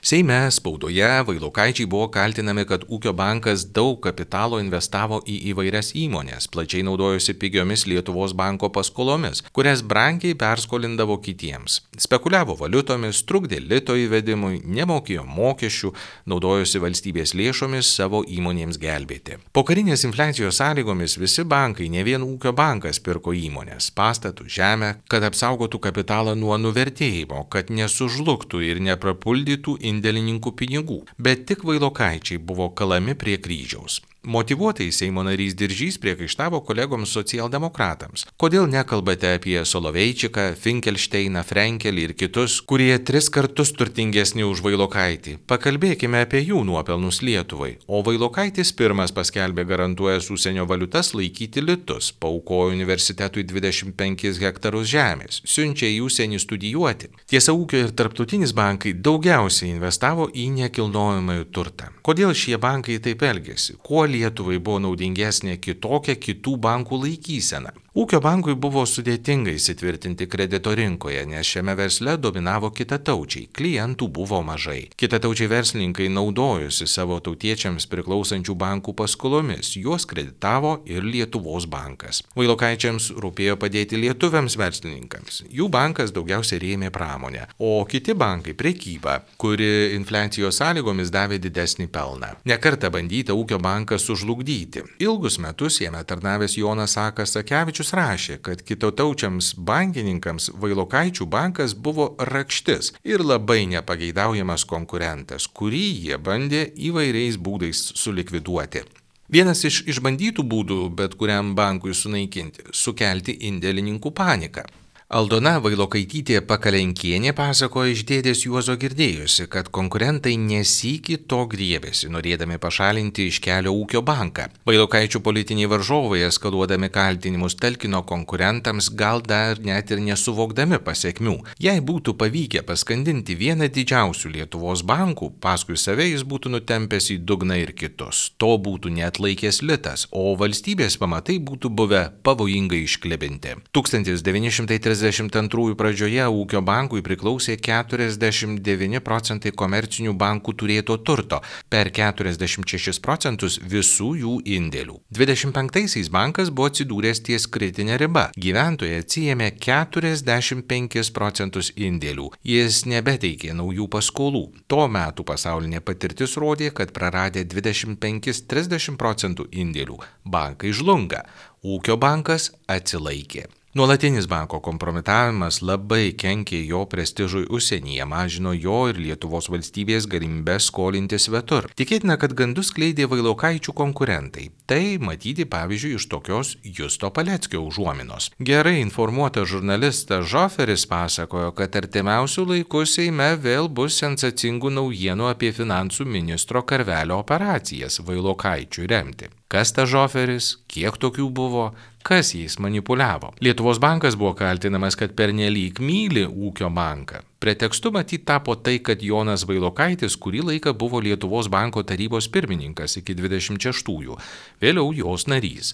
Seime, spaudoje Vailokaičiai buvo kaltinami, kad Ūkio bankas daug kapitalo investavo į įvairias įmonės, plačiai naudojosi pigiomis Lietuvos banko paskolomis, kurias brangiai perskolindavo kitiems. Spekuliavo valiutomis, trukdė lito įvedimui, nemokėjo mokesčių, naudojosi valstybės lėšomis savo įmonėms gelbėti. Pokarinės infliacijos sąlygomis visi bankai, ne vien Ūkio bankas, pirko įmonės, pastatų, žemę, kad apsaugotų kapitalą nuo nuvertėjimo, kad nesužlugtų ir neprapuldytų indėlininkų pinigų, bet tik Vailokaičiai buvo kalami prie kryžiaus. Motyvuotai Seimo narys Diržys priekaištavo kolegoms socialdemokratams. Kodėl nekalbate apie Soloveičiką, Finkelšteiną, Frenkelį ir kitus, kurie 3 kartus turtingesni už Vailokaitį? Pakalbėkime apie jų nuopelnus Lietuvai. O Vailokaitis pirmas paskelbė garantuojęs užsienio valiutas laikyti litus, paaukojo universitetui 25 hektarus žemės, siunčia į užsienį studijuoti. Tiesa, Ūkio ir tarptautinis bankai daugiausiai investavo į nekilnojamąjį turtą. Kodėl šie bankai taip elgėsi? Kuo Lietuvai buvo naudingesnė kitokia kitų bankų laikysena? Ūkio bankui buvo sudėtinga įsitvirtinti kredito rinkoje, nes šiame versle dominavo kitataučiai, klientų buvo mažai. Kitataučiai verslininkai naudojosi savo tautiečiams priklausančių bankų paskolomis, juos kreditavo ir Lietuvos bankas. Vailokaičiams rūpėjo padėti lietuviams verslininkams. Jų bankas daugiausiai rėmė pramonę, o kiti bankai prekybą, kuri infliacijos sąlygomis davė didesnį pelną. Nekartą bandyta Ūkio banką sužlugdyti. Ilgus metus jame tarnavęs Jonas Sakevičius rašė, kad kitataučiams bankininkams Vailokaičių bankas buvo rakštis ir labai nepageidaujamas konkurentas, kurį jie bandė įvairiais būdais sulikviduoti. Vienas iš išbandytų būdų bet kuriam bankui sunaikinti - sukelti indėlininkų paniką. Aldona Vailokaitytė Pakalenkienė pasakojo iš dėdės Juozo girdėjusi, kad konkurentai nesykį to griebėsi, norėdami pašalinti iš kelio Ūkio banką. Vailokaičių politiniai varžovai, eskaluodami kaltinimus, talkino konkurentams, gal dar net ir nesuvokdami pasekmių. Jei būtų pavykę paskandinti vieną didžiausių Lietuvos bankų, paskui save jis būtų nutempęs į dugną ir kitus. To būtų neatlaikęs litas, o valstybės pamatai būtų buvę pavojingai išklibinti. 1930 92 pradžioje ūkio bankui priklausė 49% komercinių bankų turėto turto, per 46 procentus visų jų indėlių. 25-aisiais bankas buvo atsidūręs ties kritinė riba. Gyventojai atsiėmė 45 procentus indėlių. Jis nebeteikė naujų paskolų. Tuo metu pasaulinė patirtis rodė, kad praradę 25-30 procentų indėlių, bankai žlunga. Ūkio bankas atsilaikė. Nuolatinis banko kompromitavimas labai kenkė jo prestižui užsienyje, mažino jo ir Lietuvos valstybės galimybės skolinti svetur. Tikėtina, kad gandus skleidė Vailokaičių konkurentai. Tai matyti pavyzdžiui iš tokios Justo Paleckio užuominos. Gerai informuotas žurnalistas Žoferis pasakojo, kad artimiausių laikų Seime vėl bus sensacingų naujienų apie finansų ministro Karvelio operacijas Vailokaičių remti. Kas ta Žoferis, kiek tokių buvo, kas jais manipuliavo. Lietuvos bankas buvo kaltinamas, kad pernelyg myli ūkio banką. Pretekstu matyt tapo tai, kad Jonas Vailokaitis kurį laiką buvo Lietuvos banko tarybos pirmininkas iki 26-ųjų, vėliau jos narys.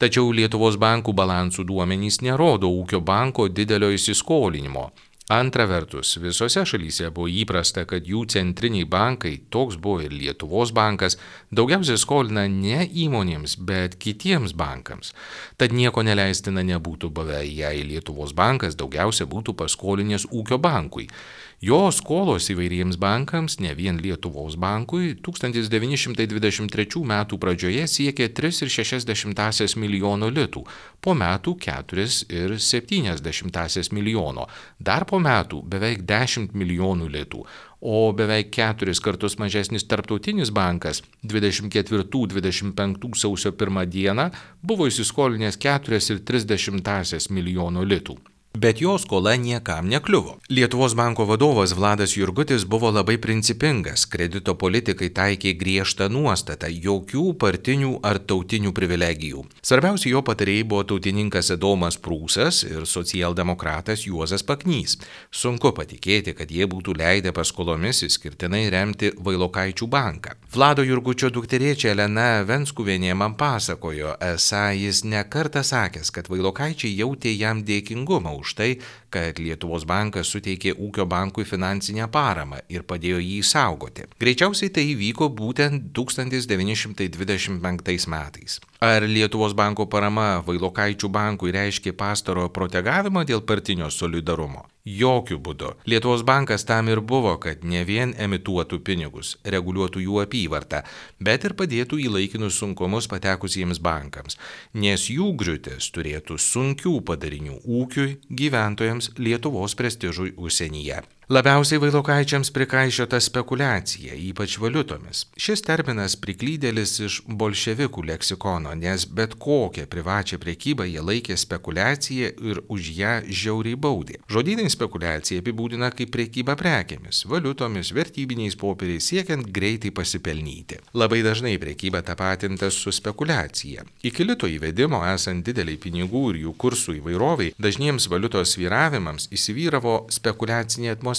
Tačiau Lietuvos bankų balansų duomenys nerodo ūkio banko didelio įsiskolinimo. Antra vertus, visose šalyse buvo įprasta, kad jų centriniai bankai, toks buvo ir Lietuvos bankas, daugiausiai skolina ne įmonėms, bet kitiems bankams. Tad nieko neleistina nebūtų buvę, jei Lietuvos bankas daugiausia būtų paskolinęs ūkio bankui. Jo skolos įvairiems bankams, ne vien Lietuvos bankui, 1923 metų pradžioje siekė 3,6 milijono litų, po metų 4,7 milijono, dar po metų beveik 10 milijonų litų, o beveik 4 kartus mažesnis Tarptautinis bankas 24-25 sausio 1 dieną buvo įsiskolinęs 4,3 milijono litų. Bet jo skola niekam nekliuvo. Lietuvos banko vadovas Vladas Jurgutis buvo labai principingas, kredito politikai taikė griežtą nuostatą, jokių partinių ar tautinių privilegijų. Svarbiausi jo patarėjai buvo tautininkas Adomas Prūsas ir socialdemokratas Juozas Paknys. Sunku patikėti, kad jie būtų leidę paskolomis išskirtinai remti Vailokaičių banką. Vlado Jurgučio dukterėčia Elena Venskuvienė man pasakojo, esą jis nekartą sakęs, kad Vailokaičiai jautė jam dėkingumą už tai, kad Lietuvos bankas suteikė ūkio bankui finansinę paramą ir padėjo jį saugoti. Greičiausiai tai įvyko būtent 1925 metais. Ar Lietuvos banko parama Vailokaičių bankui reiškė pastarojo protegavimą dėl partinio solidarumo? Jokių būdų. Lietuvos bankas tam ir buvo, kad ne vien emituotų pinigus, reguliuotų jų apyvartą, bet ir padėtų į laikinus sunkumus patekusiems bankams, nes jų griūtis turėtų sunkių padarinių ūkiui, gyventojams, Lietuvos prestižui užsienyje. Labiausiai Vailokaičiams prikaišiota spekulacija, ypač valiutomis. Šis terminas priklydėlis iš bolševikų leksikono, nes bet kokią privačią prekybą jie laikė spekulacija ir už ją žiauriai baudė. Žodynai spekulacija apibūdina kaip prekybą prekėmis, valiutomis, vertybiniais popieriais siekiant greitai pasipelnyti. Labai dažnai prekyba tapatintas su spekulacija. Iki lito įvedimo esant dideliai pinigų ir jų kursų įvairoviai, dažniems valiutos svyravimams įsivyravo spekulacinė atmosfera.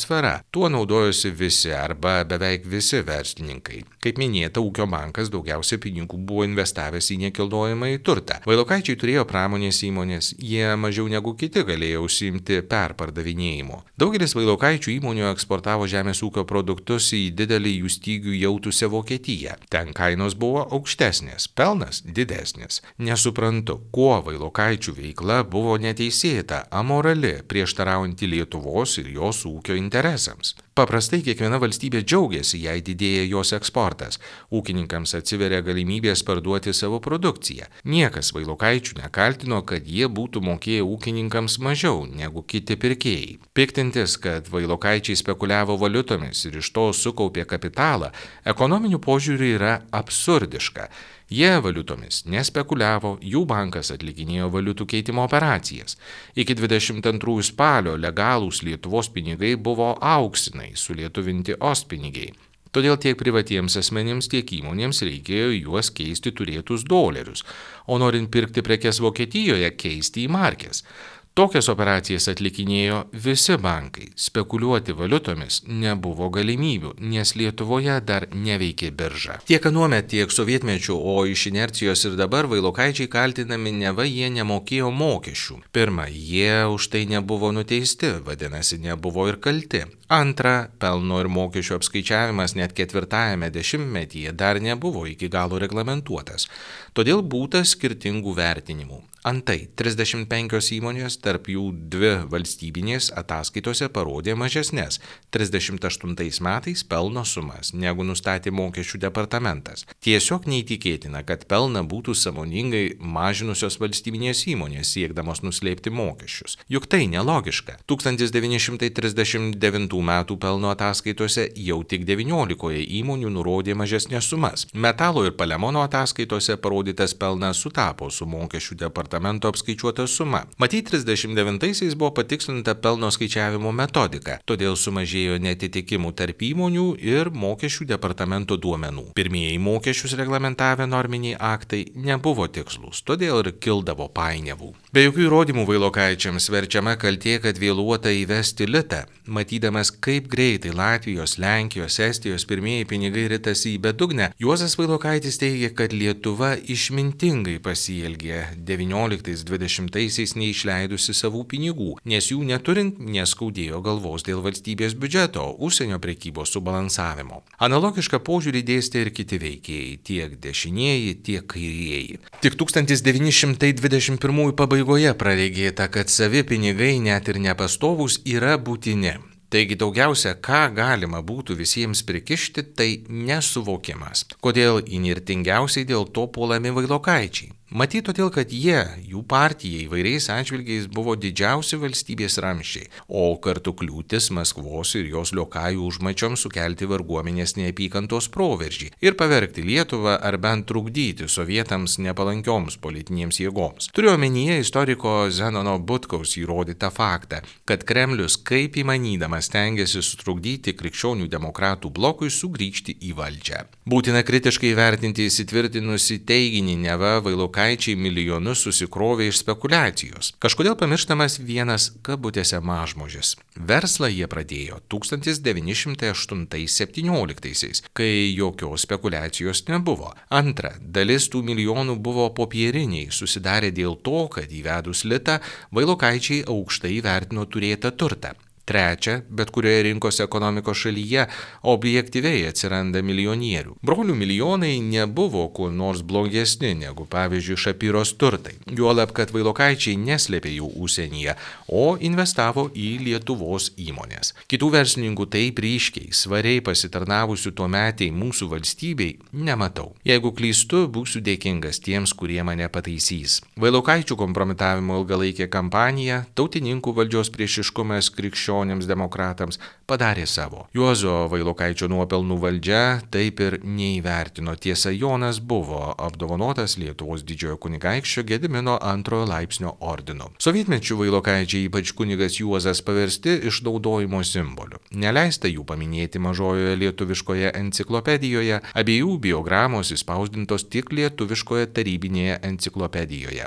Tuo naudojosi visi arba beveik visi verslininkai. Kaip minėta, ūkio bankas daugiausia pinigų buvo investavęs į nekilnojamąjį turtą. Vailokaičiai turėjo pramonės įmonės, jie mažiau negu kiti galėjo užsiimti perpardavinėjimu. Daugelis Vailokaičių įmonių eksportavo žemės ūkio produktus į didelį jų stygių jautusią Vokietiją. Ten kainos buvo aukštesnės, pelnas didesnis. Nesuprantu, kuo Vailokaičių veikla buvo neteisėta, amorali, prieštaraujanti Lietuvos ir jos ūkio interesams. Paprastai kiekviena valstybė džiaugiasi, jei didėja jos eksportas. Ūkininkams atsiveria galimybės parduoti savo produkciją. Niekas Vailokaičių nekaltino, kad jie būtų mokėję ūkininkams mažiau negu kiti pirkėjai. Piktintis, kad Vailokaičiai spekuliavo valiutomis ir iš to sukaupė kapitalą, ekonominiu požiūriu yra absurdiška. Jie valiutomis nespekuliavo, jų bankas atlikinėjo valiutų keitimo operacijas. Iki 22 spalio legalūs Lietuvos pinigai buvo auksinai, sulietuvinti ostpinigiai. Todėl tiek privatiems asmenims, tiek įmonėms reikėjo juos keisti turėtus dolerius, o norint pirkti prekes Vokietijoje keisti į markes. Tokias operacijas atlikinėjo visi bankai. Spekuliuoti valiutomis nebuvo galimybių, nes Lietuvoje dar neveikė birža. Tiek anuomet, tiek sovietmečiu, o iš inercijos ir dabar vailokaičiai kaltinami, neva jie nemokėjo mokesčių. Pirma, jie už tai nebuvo nuteisti, vadinasi, nebuvo ir kalti. Antra, pelno ir mokesčių apskaičiavimas net 4-ajame dešimtmetyje dar nebuvo iki galo reglamentuotas. Todėl būta skirtingų vertinimų. Antai, 35 įmonės, tarp jų 2 valstybinės, ataskaitose parodė mažesnės 38 metais pelno sumas, negu nustatė mokesčių departamentas. Tiesiog neįtikėtina, kad pelną būtų sąmoningai mažinusios valstybinės įmonės, siekdamos nuslėpti mokesčius. Juk tai nelogiška. 1939 metų pelno ataskaitose jau tik 19 įmonių nurodė mažesnės sumas. Metalo ir Palemono ataskaitose parodytas pelnas sutapo su mokesčių departamento apskaičiuota suma. Matyt, 39-aisiais buvo patikslinta pelno skaičiavimo metodika, todėl sumažėjo netitikimų tarp įmonių ir mokesčių departamento duomenų. Pirmieji mokesčius reglamentavę norminiai aktai nebuvo tikslūs, todėl ir kildavo painiavų. Be jokių įrodymų vailokaičiams verčiama kaltė, kad vėluota įvesti litą. Matydamas, kaip greitai Latvijos, Lenkijos, Estijos pirmieji pinigai ritasi į bedugnę, Juozas Vailokaitis teigia, kad Lietuva išmintingai pasielgė 19-20-aisiais neišleidusi savų pinigų, nes jų neturint neskaudėjo galvos dėl valstybės biudžeto, užsienio prekybos subalansavimo. Analogišką požiūrį dėstė ir kiti veikėjai, tiek dešinieji, tiek kairieji. Tik 1921 pabaigoje praregėta, kad savi pinigai, net ir nepastovūs, yra būtini. Taigi daugiausia, ką galima būtų visiems prikišti, tai nesuvokimas. Kodėl įnirtingiausiai dėl to puolami vailokaičiai? Matyt, todėl, kad jie, jų partija įvairiais atžvilgiais buvo didžiausi valstybės ramsčiai, o kartu kliūtis Maskvos ir jos liokajų užmačioms sukelti varguomenės neapykantos proveržį ir pavergti Lietuvą ar bent trukdyti sovietams nepalankioms politinėms jėgoms. Turiu omenyje istoriko Zenono Butkaus įrodytą faktą, kad Kremlius kaip įmanydamas stengiasi sutrukdyti krikščionių demokratų blokui sugrįžti į valdžią. Būtina kritiškai vertinti įsitvirtinusi teiginį, neva vailokaičiai milijonus susikrovė iš spekulacijos. Kažkodėl pamirštamas vienas kabutėse mažmožis. Verslą jie pradėjo 1908-17, kai jokios spekulacijos nebuvo. Antra, dalis tų milijonų buvo popieriniai, susidarė dėl to, kad įvedus litą vailokaičiai aukštai vertino turėtą turtą. Trečia, bet kurioje rinkos ekonomikos šalyje objektyviai atsiranda milijonierių. Brolių milijonai nebuvo kuo nors blogesni negu pavyzdžiui Šapyros turtai. Juolab, kad vailokaičiai neslėpė jų užsienyje, o investavo į Lietuvos įmonės. Kitų verslininkų taip ryškiai, svariai pasitarnavusių tuometiai mūsų valstybei nematau. Jeigu klystu, būsiu dėkingas tiems, kurie mane pataisys. Vailokaičių kompromitavimo ilgalaikė kampanija, tautininkų valdžios priešiškumas krikščionims demokratams padarė savo. Juozo Vailokaičio nuopelnų valdžia taip ir neįvertino. Tiesa, Jonas buvo apdovanotas Lietuvos didžiojo kunigaikščio Gedimino 2 laipsnio ordinu. Sovietmečiu vailokaičiai, ypač kunigas Juozas, paversti išnaudojimo simboliu. Neleista jų paminėti mažojoje lietuviškoje enciklopedijoje, abiejų biogramos įspausdintos tik lietuviškoje tarybinėje enciklopedijoje.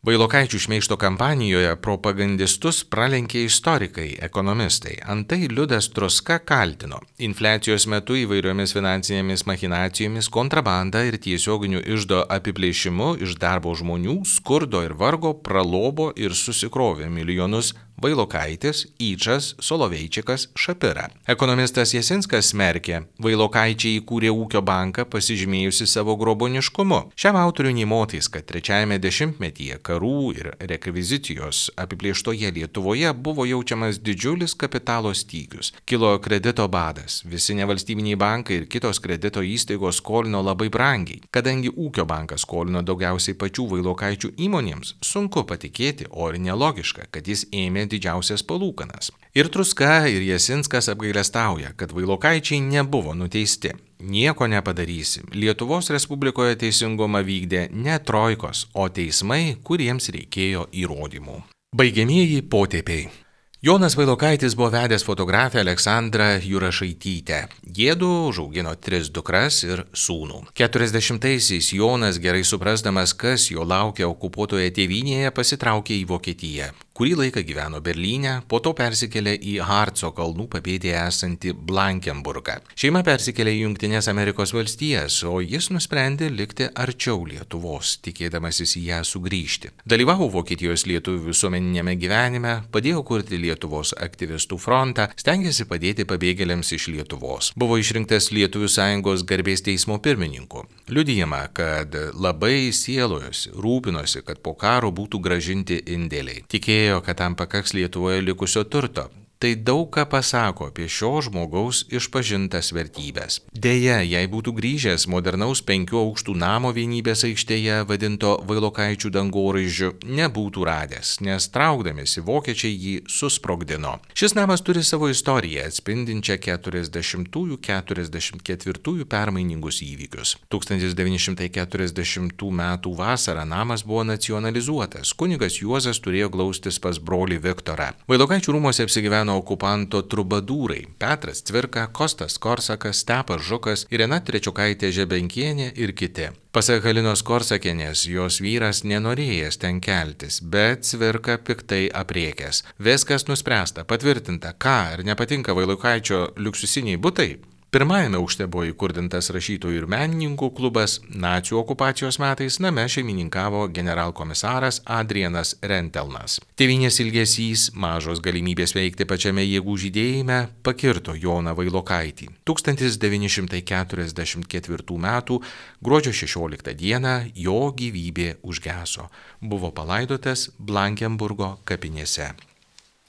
Vailokaičių šmeižto kampanijoje propagandistus pralenkė istorikai, ekonomistai. Antai Liudas Truska kaltino infliacijos metu įvairiomis finansinėmis machinacijomis, kontrabanda ir tiesioginiu iždo apiplėšimu iš darbo žmonių, skurdo ir vargo pralobo ir susikrovė milijonus Vailokaitis, Yčas, Soloveičikas, Šapira. Ekonomistas Jasinskas smerkė, vailokaičiai įkūrė ūkio banką pasižymėjusi savo groboniškumu. Šiam autoriui nė motais, kad 3-ame dešimtmetyje karų ir rekvizicijos apiplėštoje Lietuvoje buvo jaučiamas didžiulis kapitalo stygius. Kilo kredito badas, visi nevalstybiniai bankai ir kitos kredito įstaigos skolino labai brangiai. Kadangi ūkio bankas skolino daugiausiai pačių vailokaičių įmonėms, sunku patikėti, o ir nelogiška, kad jis ėmė didžiausias palūkanas. Ir Truska, ir Jasinskas apgailestauja, kad vailokaičiai nebuvo nuteisti. Nieko nepadarysi. Lietuvos Respublikoje teisingumą vykdė ne trojkos, o teismai, kuriems reikėjo įrodymų. Baigiamieji potėpiai. Jonas Vailokaitis buvo vedęs fotografę Aleksandrą Jurašaitytę. Jiedu užaugino 3 dukras ir sūnų. 40-aisiais Jonas, gerai suprasdamas, kas jo laukia okupuotoje tėvynėje, pasitraukė į Vokietiją, Kurį laiką gyveno Berlyne, po to persikėlė į Harco kalnų papėdėje esantį Blankenburgą. Šeima persikėlė į Jungtinės Amerikos valstijas, o jis nusprendė likti arčiau Lietuvos, tikėdamasis į ją sugrįžti. Dalyvavo Vokietijos lietuvių visuomeninėme gyvenime, padėjo kurti Lietuvos aktyvistų frontą, stengėsi padėti pabėgėliams iš Lietuvos. Buvo išrinktas Lietuvių sąjungos garbės teismo pirmininku. Liudijama, kad labai sielojosi, rūpinosi, kad po karo būtų grąžinti indėliai. Tikėjo, kad tam pakaks Lietuvoje likusio turto. Tai daug ką pasako apie šio žmogaus išpažintas vertybės. Deja, jei būtų grįžęs modernaus 5 aukštų namo Vienybės aikštėje vadinto Vailokaičių dangoraižiu, nebūtų radęs, nes traukdamėsi vokiečiai jį susprogdino. Šis namas turi savo istoriją, atspindinčią 40–44 permainingus įvykius. 1940 m. vasarą namas buvo nacionalizuotas. Kunigas Juozas turėjo glaustis pas brolį Viktorą. Vailokaičių rūmuose apsigyveno okupanto trubadūrai Petras Cvirka, Kostas Korsakas, Stepas Žukas, Irena Trečiukaitė Žebenkienė ir kiti. Pasak Halinos Korsakienės, jos vyras nenorėjęs ten keltis, bet Cvirka piktai apriekęs. Viskas nuspręsta, patvirtinta, ką ar nepatinka Vailokaičio liuksusiniai butai. Pirmajame aukšte buvo įkurdintas rašytojų ir menininkų klubas, nacių okupacijos metais name šeimininkavo generalkomisaras Adrianas Rentelnas. Tėvynės ilgesys, mažos galimybės veikti pačiame jėgų žydėjime pakirto Joną Vailokaitį. 1944 m. gruodžio 16 d. jo gyvybė užgeso. Buvo palaidotas Blankenburgo kapinėse.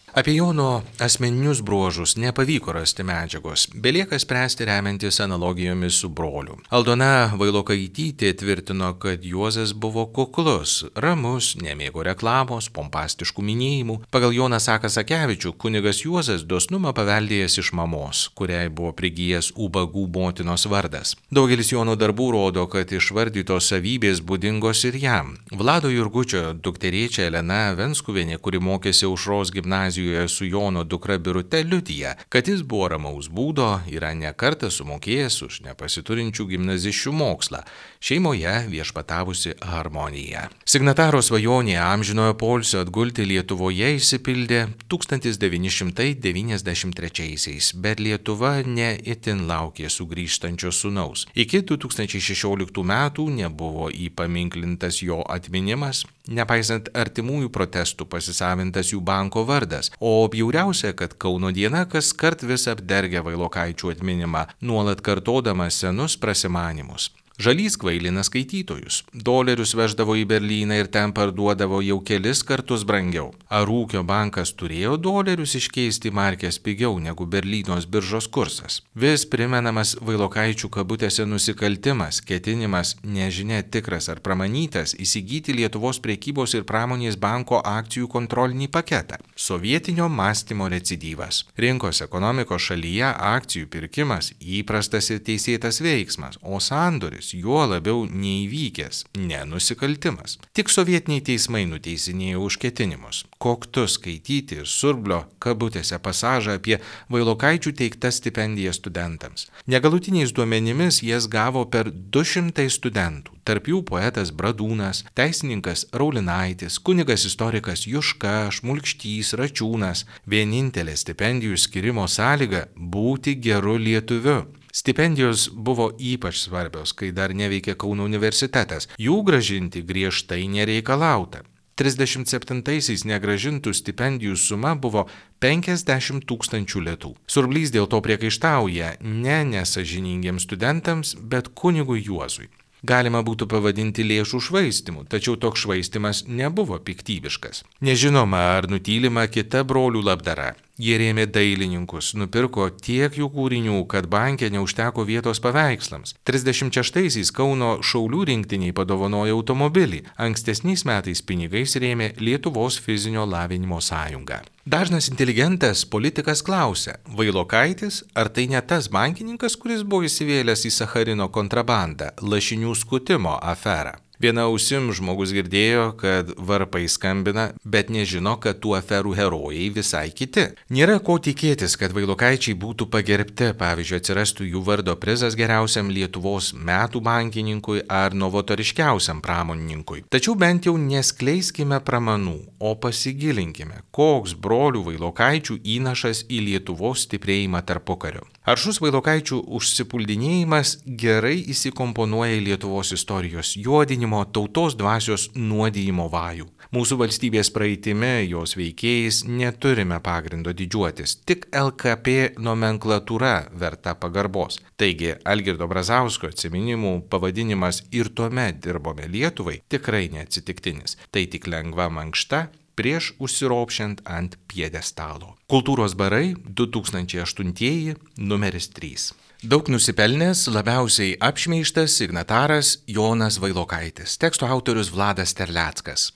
Apie Jono asmeninius bruožus nepavyko rasti medžiagos, belieka spręsti remiantis analogijomis su broliu. Aldona Vailokaitytė tvirtino, kad Juozas buvo kuklus, ramus, nemėgo reklamos, pompastiškų minėjimų. Pagal Joną Sakevičių, kunigas Juozas dosnumą paveldėjęs iš mamos, kuriai buvo prigijęs ubagų motinos vardas. Daugelis Jono darbų rodo, kad išvardytos savybės būdingos ir jam. Vlado Jurgučio dukterėčia Elena Venskuvienė, kuri mokėsi Aušros gimnazijoje su Jono dukra Birute, liudija, kad jis buvo ramaus būdo, yra ne kartą sumokėjęs už nepasiturinčių gimnaziščių mokslą, šeimoje viešpatavusi harmonija. Signataro svajonė amžinojo poilsio atgulti Lietuvoje išsipildė 1993-aisiais, bet Lietuva ne itin laukė sugrįžtančio sūnaus. Iki 2016 metų nebuvo įpaminklintas jo atminimas, nepaisant artimųjų protestų pasisavintas jų banko vardas, o bjauriausia, kad Kauno diena kaskart vis apdergia Vailokaičių atminimą, nuolat kartodama senus prasimanymus. Žalys kvailina skaitytojus. Dolerius veždavo į Berlyną ir ten parduodavo jau kelis kartus brangiau. Ar ūkio bankas turėjo dolerius iškeisti markės pigiau negu Berlynos biržos kursas? Vis primenamas Vailokaičių kabutėse nusikaltimas, ketinimas, nežinia tikras ar pramanytas, įsigyti Lietuvos prekybos ir pramonės banko akcijų kontrolinį paketą. Sovietinio mąstymo recidyvas. Rinkos ekonomikos šalyje akcijų pirkimas įprastas ir teisėtas veiksmas, o sandoris juo labiau neįvykęs, nenusikaltimas. Tik sovietiniai teismai nuteisinėjo už ketinimus. Koktu skaityti ir Surblio kabutėse pasažą apie Vailokaičių teiktas stipendijas studentams. Negalutiniais duomenimis jas gavo per 200 studentų, tarp jų poetas Bradūnas, teisininkas Raulinaitis, kunigas istorikas Juška, Šmulkštys, Račiūnas. Vienintelė stipendijų skirimo sąlyga – būti geru lietuviu. Stipendijos buvo ypač svarbios, kai dar neveikė Kauno universitetas. Jų grąžinti griežtai nereikalauta. 37-aisiais negrąžintų stipendijų suma buvo 50 000 litų. Surblys dėl to priekaištauja ne nesąžiningiems studentams, bet kunigui Juozui. Galima būtų pavadinti lėšų švaistimu, tačiau toks švaistimas nebuvo piktybiškas. Nežinoma, ar nutylima kita brolių labdara. Jie rėmė dailininkus, nupirko tiek jų kūrinių, kad banke neužteko vietos paveikslams. 36-aisiais Kauno šaulių rinktiniai padovanojo automobilį, ankstesniais metais pinigais rėmė Lietuvos fizinio lavinimo sąjungą. Dažnas inteligentas politikas klausia, Vailokaitis, ar tai ne tas bankininkas, kuris buvo įsivėlęs į Sacharino kontrabandą, lašinių skutimo aferą? Viena ausim žmogus girdėjo, kad varpai skambina, bet nežino, kad tų aferų herojai visai kiti. Nėra ko tikėtis, kad Vailokaičiai būtų pagerbti, pavyzdžiui, atsirastų jų vardo prizas geriausiam Lietuvos metų bankininkui ar novatoriškiausiam pramonininkui. Tačiau bent jau neskleiskime pramanų, o pasigilinkime, koks brolių Vailokaičių įnašas į Lietuvos stiprėjimą tarpukariu. Aršus Vailokaičių užsipuldinėjimas gerai įsikomponuoja į Lietuvos istorijos juodinimo, tautos dvasios nuodijimo vajų. Mūsų valstybės praeitimi, jos veikėjais neturime pagrindo didžiuotis, tik LKP nomenklatūra verta pagarbos. Taigi, Algirdo Brazausko atsiminimų pavadinimas "Ir tuomet dirbome Lietuvai" tikrai neatsitiktinis. Tai tik lengva mankšta prieš užsiropšiant ant pjedestalo. Kultūros barai 2008 numeris 3. Daug nusipelnęs, labiausiai apšmeižtas signataras Jonas Vailokaitis. Teksto autorius Vladas Terleckas.